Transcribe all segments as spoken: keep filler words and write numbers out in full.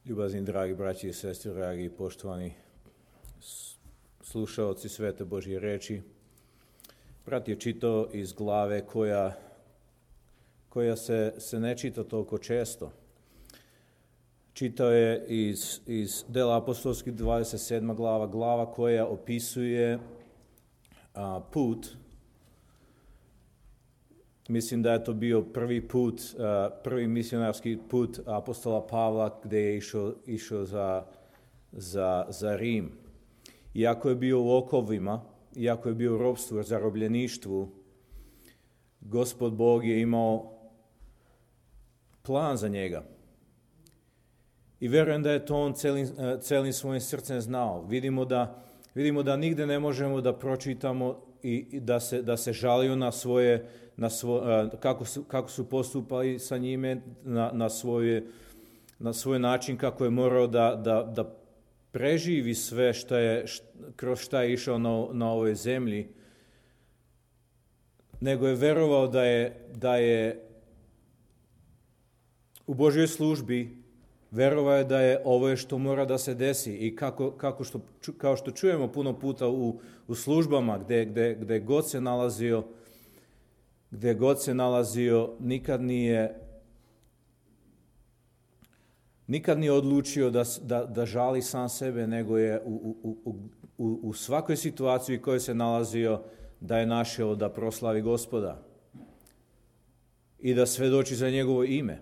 Ljubazni, dragi braći i sestre, dragi i poštovani slušaoci Svete Božje reči, brat je čitao iz glave koja, koja se, se ne čita toliko često. Čitao je iz, iz Dela apostolskih dvadeset sedma glava, glava koja opisuje a, put. Mislim da je to bio prvi put, prvi misionarski put apostola Pavla gdje je išao, išao za, za, za Rim. Iako je bio u okovima, iako je bio u ropstvu, zarobljeništvu, Gospod Bog je imao plan za njega. I vjerujem da je to on celim, celim svojim srcem znao. Vidimo da, vidimo da nigde ne možemo da pročitamo i, i da, se, da se žalio na svoje Na svo, kako, su, kako su postupali sa njime, na, na, svoje, na svoj način kako je morao da, da, da preživi sve što je, kroz šta je išao na, na ovoj zemlji, nego je verovao da je, da je u Božjoj službi, verovao je da je ovo je što mora da se desi i kako, kako što, kao što čujemo puno puta u, u službama gde, gde, gde god se nalazio, gdje god se nalazio, nikad nije, nikad nije odlučio da, da, da žali sam sebe, nego je u, u, u, u, u svakoj situaciji u kojoj se nalazio da je našao da proslavi Gospoda i da svedoči za njegovo ime.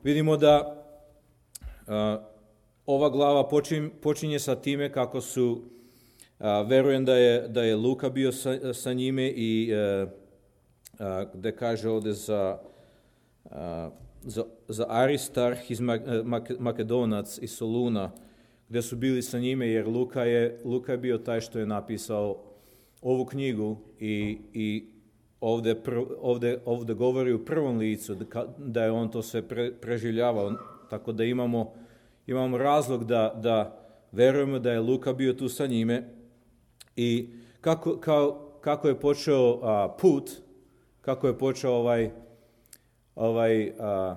Vidimo da a, ova glava počinje, počinje sa time kako su, a, verujem da je, da je Luka bio sa, sa njime i a, gde kaže ovdje za, za, za Aristarh iz Makedonac iz Soluna, gdje su bili sa njime, jer Luka je, Luka je bio taj što je napisao ovu knjigu i, i ovdje, prv, ovdje, ovdje govori u prvom licu da je on to sve pre, preživljavao, tako da imamo, imamo razlog da, da verujemo da je Luka bio tu sa njime i kako, kao, kako je počeo a, put, kako je počeo ovaj, ovaj a,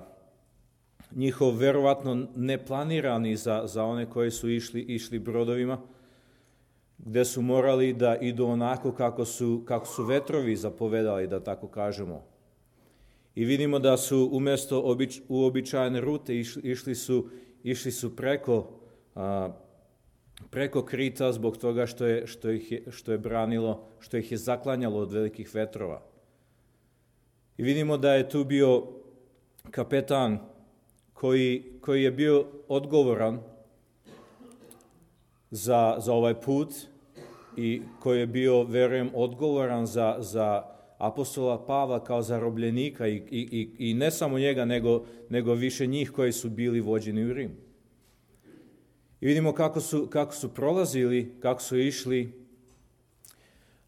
njihov verovatno neplanirani za, za one koji su išli, išli brodovima, gdje su morali da idu onako kako su, kako su vetrovi zapovedali, da tako kažemo. I vidimo da su umjesto obič, uobičajene rute išli, išli, su, išli su preko, a, preko Krita zbog toga što je, što, ih je, što je branilo, što ih je zaklanjalo od velikih vetrova. I vidimo da je tu bio kapetan koji, koji je bio odgovoran za, za ovaj put i koji je bio, verujem, odgovoran za, za apostola Pavla kao zarobljenika i, i, i, i ne samo njega, nego, nego više njih koji su bili vođeni u Rim. I vidimo kako su, kako su prolazili, kako su išli.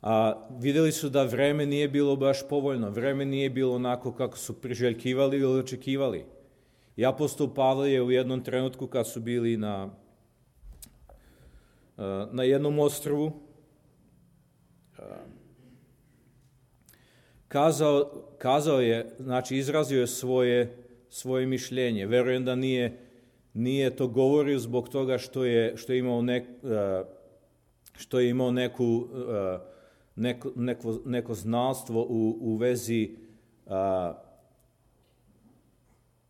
A vidjeli su da vreme nije bilo baš povoljno, vreme nije bilo onako kako su priželjkivali ili očekivali. I apostol Pavle je u jednom trenutku kad su bili na, na jednom ostrvu kazao, kazao je, znači izrazio je svoje, svoje mišljenje. Verujem da nije, nije to govorio zbog toga što je, što je imao, nek, što je imao neku Neko, neko, neko znalstvo u, u vezi a,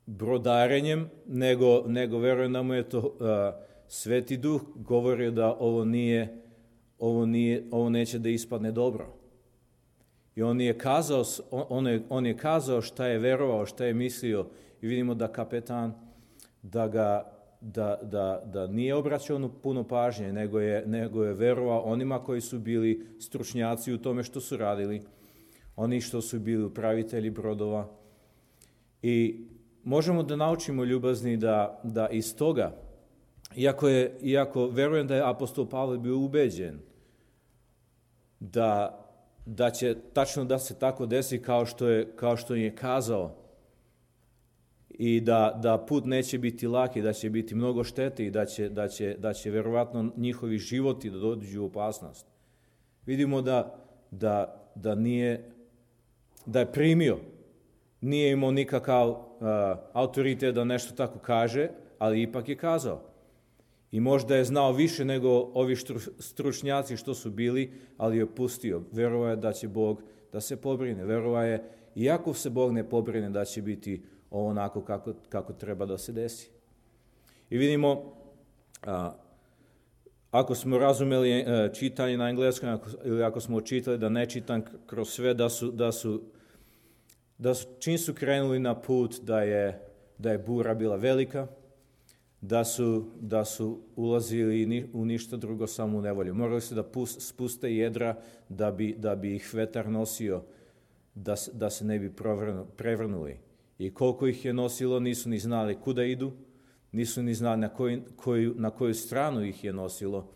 brodarenjem, nego, nego verujem da mu je to a, Sveti Duh govorio da ovo nije, ovo nije, ovo neće da ispadne dobro. I on je kazao, on je, on je kazao šta je verovao, šta je mislio i vidimo da kapetan da ga Da, da, da nije obraćao puno pažnje, nego je, nego je verovao onima koji su bili stručnjaci u tome što su radili, oni što su bili upravitelji brodova. I možemo da naučimo, ljubazni, da, da iz toga, iako, je, iako verujem da je apostol Pavle bio ubeđen da, da će tačno da se tako desi kao što je, kao što je kazao, i da, da put neće biti laki, da će biti mnogo štete i da će, da će, da će verovatno njihovi životi da dođu u opasnost. Vidimo da, da, da, nije, da je primio nije imao nikakav uh, autoritet da nešto tako kaže, ali ipak je kazao. I možda je znao više nego ovi stručnjaci što su bili, ali je pustio. Verovao je da će Bog da se pobrine. Verovao je, iako se Bog ne pobrine, da će biti onako kako, kako treba da se desi. I vidimo, a, ako smo razumeli a, čitanje na engleskom, ako, ili ako smo čitali da ne čitam kroz sve, da su, da su, da su čim su krenuli na put, da je, da je bura bila velika, da su, da su ulazili u ništa drugo, samo u nevolju. Morali su da pust, spuste jedra da bi, da bi ih vetar nosio, da, da se ne bi prevrnuli. I koliko ih je nosilo, nisu ni znali kuda idu, nisu ni znali na koju, koju, na koju stranu ih je nosilo,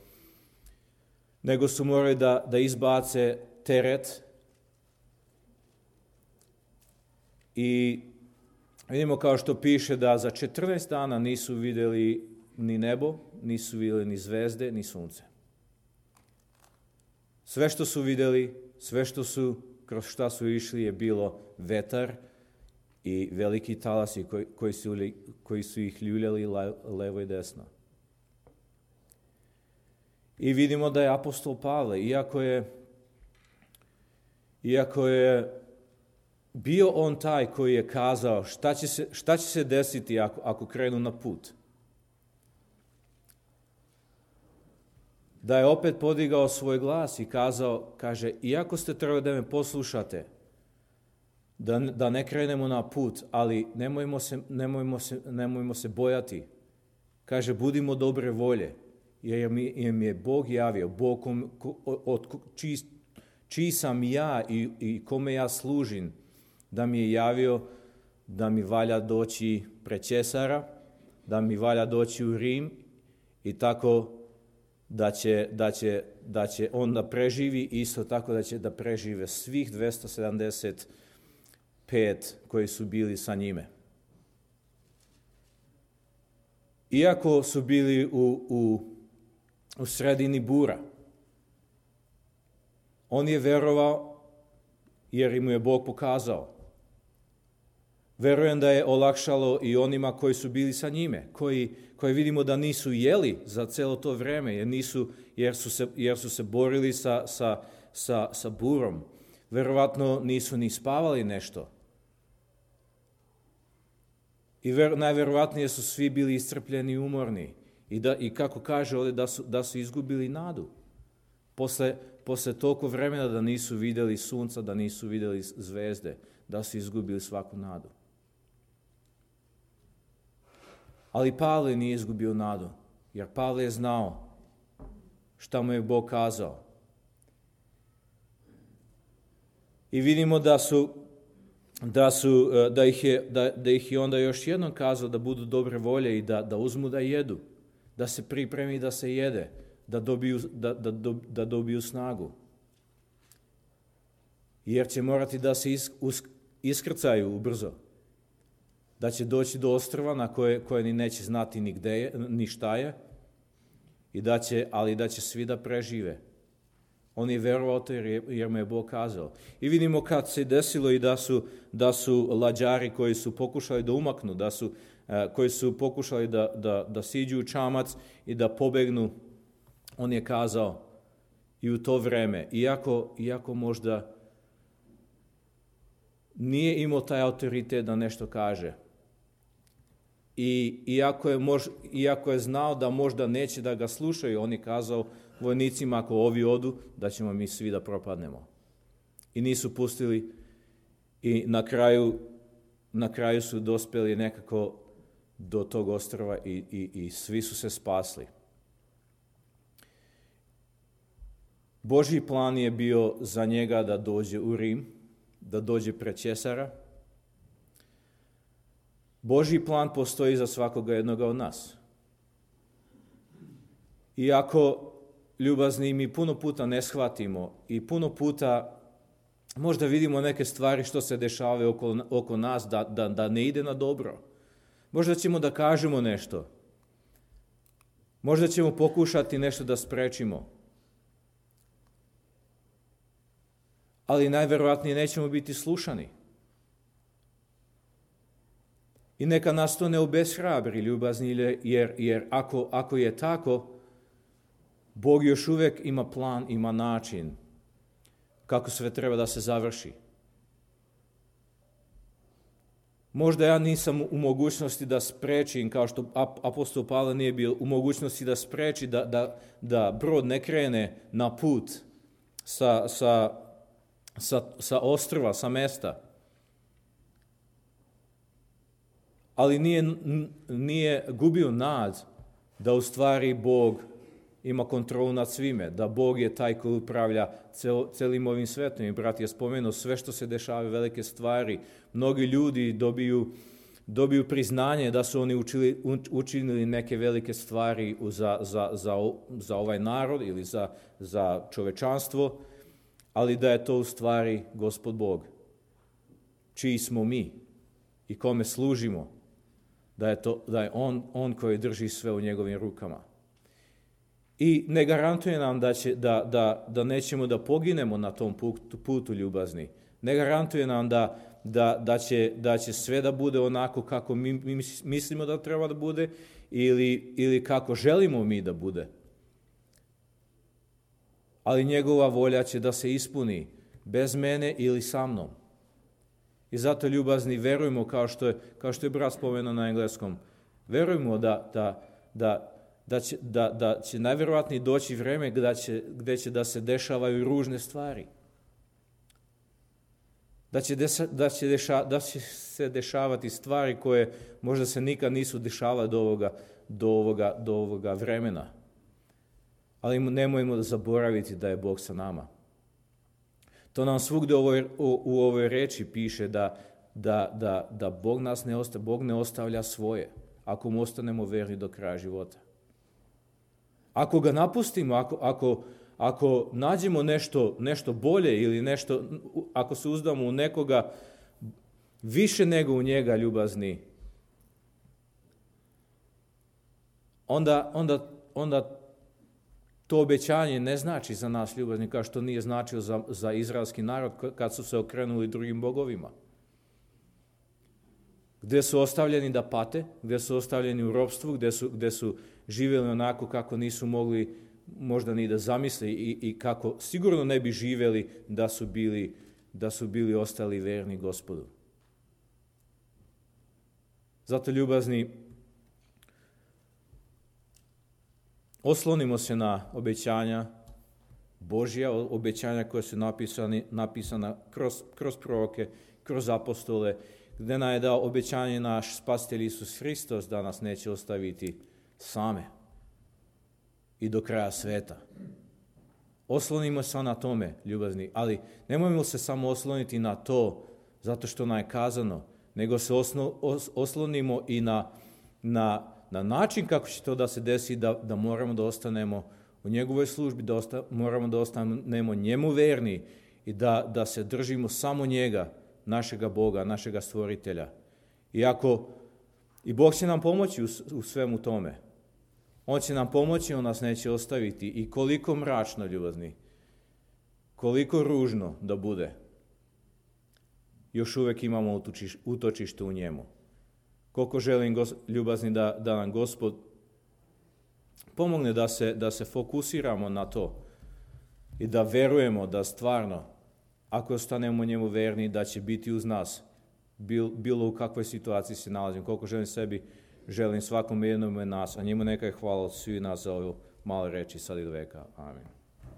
nego su morali da, da izbace teret. I vidimo kao što piše da za četrnaest dana nisu vidjeli ni nebo, nisu vidjeli ni zvezde, ni sunce. Sve što su vidjeli, sve što su, kroz šta su išli je bilo vetar i veliki talasi koji, koji, su, koji su ih ljuljali levo i desno. I vidimo da je apostol Pavle, iako je, iako je bio on taj koji je kazao šta će se, šta će se desiti ako, ako krenu na put. Da je opet podigao svoj glas i kazao, kaže, iako ste trebali da me poslušate, da, da ne krenemo na put, ali nemojmo se, nemojmo se, nemojmo se bojati. Kaže, budimo dobre volje, jer mi, jer mi je Bog javio, Bog kom, ko, od čiji, čiji sam ja i, i kome ja služim, da mi je javio da mi valja doći pred Cesara, da mi valja doći u Rim i tako da će, da će, da će on da preživi, isto tako da će da prežive svih dvesta sedamdeset pet koji su bili sa njime. Iako su bili u, u, u sredini bura, on je verovao jer im je Bog pokazao. Verujem da je olakšalo i onima koji su bili sa njime, koji, koji vidimo da nisu jeli za celo to vreme, jer, nisu, jer, su, se, jer su se borili sa, sa, sa, sa burom. Verovatno nisu ni spavali nešto. I ver, najverovatnije su svi bili iscrpljeni i umorni. I, da, i kako kaže ovdje, da su, da su izgubili nadu. Posle, posle toliko vremena da nisu vidjeli sunca, da nisu vidjeli zvezde, da su izgubili svaku nadu. Ali Pavle nije izgubio nadu, jer Pavle je znao šta mu je Bog kazao. I vidimo da su, da su, da ih je, da, da ih je onda još jednom kazao da budu dobre volje i da, da uzmu da jedu, da se pripremi da se jede, da dobiju, da, da, da dobiju snagu. Jer će morati da se is, us, iskrcaju ubrzo. Da će doći do ostrva na koje, koje ni neće znati ni gde je, ni šta je, i da će, ali da će svi da prežive. On je verovao to jer, jer mu je Bog kazao. I vidimo kad se desilo i da su, da su lađari koji su pokušali da umaknu, da su, koji su pokušali da, da, da siđu u čamac i da pobegnu, on je kazao i u to vreme, iako, iako možda nije imao taj autoritet da nešto kaže. I iako je, mož, iako je znao da možda neće da ga slušaju, on je kazao vojnicima, ako ovi odu, da ćemo mi svi da propadnemo. I nisu pustili i na kraju, na kraju su dospeli nekako do tog ostrva i, i, i svi su se spasli. Božji plan je bio za njega da dođe u Rim, da dođe pred Cesara. Božji plan postoji za svakoga jednoga od nas. Iako ljubazni mi puno puta ne shvatimo i puno puta možda vidimo neke stvari što se dešavaju oko, oko nas da, da, da ne ide na dobro. Možda ćemo da kažemo nešto. Možda ćemo pokušati nešto da sprečimo. Ali najverovatnije nećemo biti slušani. I neka nas to ne obeshrabri, ljubazni, jer, jer ako, ako je tako, Bog još uvijek ima plan, ima način kako sve treba da se završi. Možda ja nisam u mogućnosti da sprečim, kao što apostol Pavle nije bio u mogućnosti da spreči da, da, da brod ne krene na put sa, sa, sa, sa ostrva, sa mesta. Ali nije, nije gubio nad da u stvari Bog ima kontrolu nad svime, da Bog je taj koji upravlja cel, celim ovim svetom. I brat je spomenuo sve što se dešava, velike stvari. Mnogi ljudi dobiju, dobiju priznanje da su oni učili, učinili neke velike stvari za, za, za, za ovaj narod ili za, za čovečanstvo, ali da je to u stvari Gospod Bog, čiji smo mi i kome služimo, da je, to, da je on, on koji drži sve u njegovim rukama. I ne garantuje nam da, će, da, da, da nećemo da poginemo na tom putu, putu ljubazni. Ne garantuje nam da, da, da, će, da će sve da bude onako kako mi, mi mislimo da treba da bude ili, ili kako želimo mi da bude. Ali njegova volja će da se ispuni bez mene ili sa mnom. I zato, ljubazni, verujemo, kao što je, kao što je brat spomenuo na engleskom, verujemo da, da, da Da će, da, da će najvjerojatnije doći vreme gdje će, gdje će da se dešavaju ružne stvari. Da će, desa, da, će deša, da će se dešavati stvari koje možda se nikad nisu dešavale do ovoga, do ovoga, do ovoga vremena. Ali nemojmo da zaboraviti da je Bog sa nama. To nam svugdje u ovoj, u, u ovoj reči piše da, da, da, da Bog nas ne ostavlja, Bog ne ostavlja svoje, ako mu ostanemo verni do kraja života. Ako ga napustimo, ako, ako, ako nađemo nešto, nešto bolje ili nešto, ako se uzdamo u nekoga više nego u njega, ljubazni, onda, onda, onda to obećanje ne znači za nas, ljubazni, kao što nije značilo za, za izraelski narod kad su se okrenuli drugim bogovima. Gdje su ostavljeni da pate, gdje su ostavljeni u ropstvu, gdje su, gdje su živjeli onako kako nisu mogli možda ni da zamisle i, i kako sigurno ne bi živjeli da su bili, da su bili ostali verni Gospodu. Zato, ljubazni, oslonimo se na obećanja Božja, obećanja koja su napisani, napisana kroz, kroz proroke, kroz apostole, gdje nam je dao obećanje naš Spasitelj Isus Hristos da nas neće ostaviti same i do kraja sveta. Oslonimo se na tome, ljubazni, ali nemojmo se samo osloniti na to zato što nam je kazano, nego se osno, os, oslonimo i na, na, na način kako će to da se desi, da, da moramo da ostanemo u njegovoj službi, da osta, moramo da ostanemo njemu verni i da, da se držimo samo njega, našega Boga, našega stvoritelja. I ako, i Bog će nam pomoći u, u svemu tome. On će nam pomoći, on nas neće ostaviti. I koliko mračno, ljubazni, koliko ružno da bude, još uvijek imamo utočiš, utočište u njemu. Koliko želim, gos, ljubazni, da, da nam Gospod pomogne da se, da se fokusiramo na to i da verujemo da stvarno, ako ostanemo njemu verni, da će biti uz nas, bil, bilo u kakvoj situaciji se nalazimo. Koliko želim sebi, želim svakom jednom nas, a njemu neka je hvala od svih nas za ovo malo reči sad i do veka. Amen.